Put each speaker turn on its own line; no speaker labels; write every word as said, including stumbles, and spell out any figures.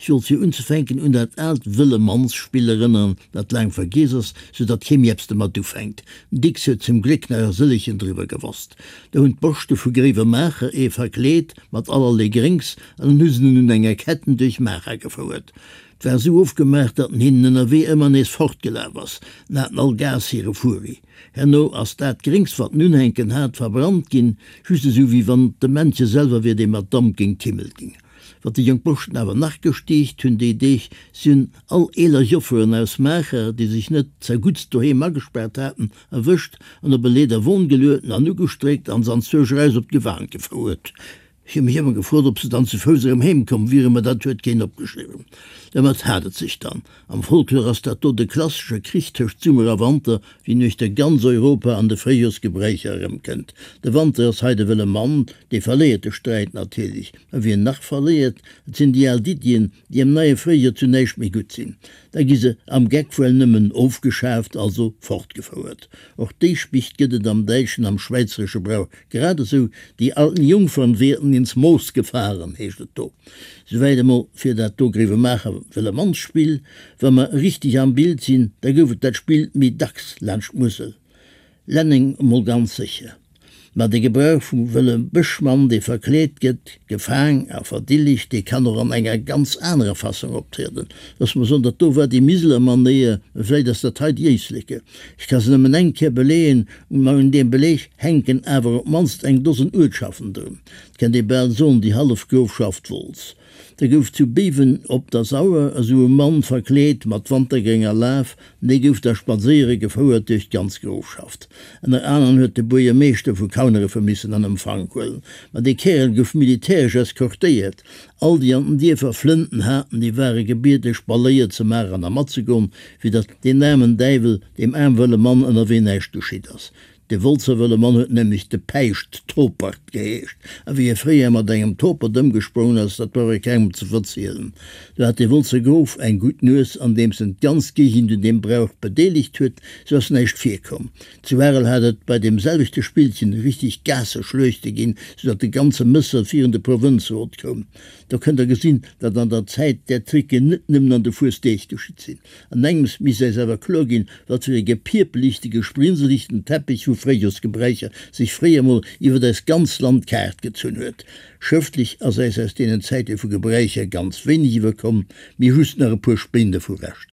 Ech wollt fir unzefänken un dat aalt Wëlle-Manns-Spill erënneren, dat laang vergiess ass, sou datt kee méi eppes domat ufänkt. Den Dicks huet zum Gléck nach e sëllechen driwwer gewosst. Do hunn d'Boschte vu Gréiwemaacher ee verkleet mat allerlee Gréngs an dann hu se en un enger Ketten duerch Maacher gefouert. 't war sou ofgemaach, datt en hinnen ënnerwee ëmmer nees fortgelaf ass. En haten all Gaass hire Furi. Herno ass dat Gréngs, wat en unhänken hat, verbrannt ginn, just esou wéi wann et de Männche selwer wier, dee mat Damp géint d'Himmel ging. Wat déi jonk Boschten awer nach gestiicht hunn déi Deeg, si hunn all eeler Jofferen aus Maacher, déi sech net zerguttst doheem agespaart haten, erwëscht an op e Leederwon gelueden an ugestréckt an se anzwousch eraus op d'Gewan gefouert. Ech hu mech ëmmer gefrot, ob se dann zu Fouss erëm heem komm wieren, mä dat huet keen opgeschriwwen. Domat hat et sech dann. Am Folklor ass dat do de klassesche Krich tëscht Summer a Wanter, wéi en uechter ganz Europa an de Fréijorsgebräicher erëmkënnt. De Wanter ass hei de wëlle Mann, dee verléiert de Sträit natierlech. Mä wien nach verléiert, et sinn déi al Iddien, déi am neie Fréijoer zu näischt méi gutt sinn. Da gi se am Geck wuel nëmmen ofgeschaaft, also fortgefouert. Och déi Spicht gëtt et am däitschen, am schwäizeresche Brauch grad esou, Die alten Jungfern werden ins Moos gefahren, heescht et do. Souwäit emol fir dat do Gréiwemaacher Wëllemannsspill. Wa mer richteg am Bild sinn, da gouf et dat Spill méi dacks laanscht d'Musel. Lenneng emol ganz sécher. Ma de Gebrauch vum wëlle Bëschmann, dee verkleet gëtt, gefaang a verdillegt, dee kann och an enger ganz anerer Fassong optrieden. Loosse mer soen, dat do war déi Miseler Manéier, mä vläicht ass dat hei déi Éisleke. Ech ka se nëmmen eng Kéier beleeën, ma un deem Beleeg hänken awer op d'mannst eng Dosen Uertschaften drun. Et kennt ee bal soen, déi hallef Grofschaft Wolz. Da gouf zu Béiwen op der Sauer esou e Mann verkleet mat wantergrénger Laf, an dee gouf da spadséiere gefouert duerch d'ganz Grofschaft. Ënner aneren huet de Buergermeeschter vu Kaunerefe missen an Empfank huelen. Ma dee Kärel gouf militäresch eskortéiert. All déi an den Dierfer Flënten haten, déi ware gebiede Spaléier ze maachen a matzegoen, fir datt deen aarmen Däiwel, deem aarmwëlle Mann ënnerwee näischt geschitt ass. De Wolzer wëlle Mann huet nämlech de Päischt Topert geheescht, a wéi e fréier mat engem Topert ëmgesprongen ass, dat brauch ee kengem ze verzielen. Do hat de Wolzer Grof eng gutt Nues, andeems en d'ganz Géigend un deem Brauch bedeelegt huet, sou ass näischt virkomm. Zu Arel hat et bei deem selwechte Spillchen richtig Gaasseschluechte ginn, sou datt de ganze Mëssel virun de Provënzrot koum. Do kënnt der gesinn, datt an der Zäit där Tricken net nëmmen an de Fuesdeeg geschitt sinn. An engems misst äis awer kloer ginn, wat fir e gepierpelichte, gesprinselichten Teppich vu Fréijorsgebräicher sech fréier emol iwwert eist ganz Land kaart gezunn huet. Schrëftlech ass äis aus deenen Zäite vu Gebräicher ganz wéineg iwwerkomm, mee just nach e puer Spéin dervu Reschter.